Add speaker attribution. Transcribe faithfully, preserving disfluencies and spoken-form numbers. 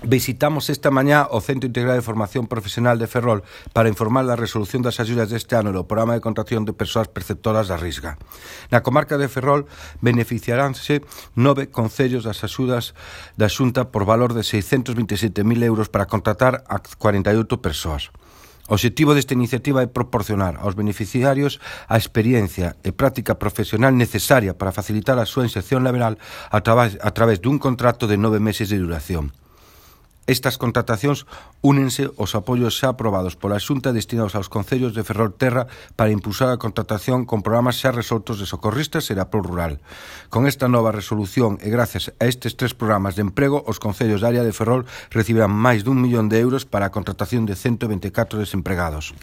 Speaker 1: Visitamos esta mañá o Centro Integrado de Formación Profesional de Ferrol para informar da resolución das axudas deste ano no programa de contratación de persoas perceptoras da Risga. Na comarca de Ferrol beneficiaránse nove concellos das axudas da Xunta por valor de seiscentos vinte e sete mil euros para contratar a cuarenta e oito persoas. O obxectivo desta iniciativa é proporcionar aos beneficiarios a experiencia e práctica profesional necesaria para facilitar a súa inserción laboral a través, a través dun contrato de nove meses de duración. Estas contratacións únense aos apoios xa aprobados pola Xunta destinados aos concellos de Ferrolterra para impulsar a contratación con programas xa resoltos de socorristas e de apoio rural. Con esta nova resolución e gracias a estes tres programas de emprego, os concellos da área de Ferrol recibirán máis dun millón de euros para a contratación de cento e vinte e catro desempregados.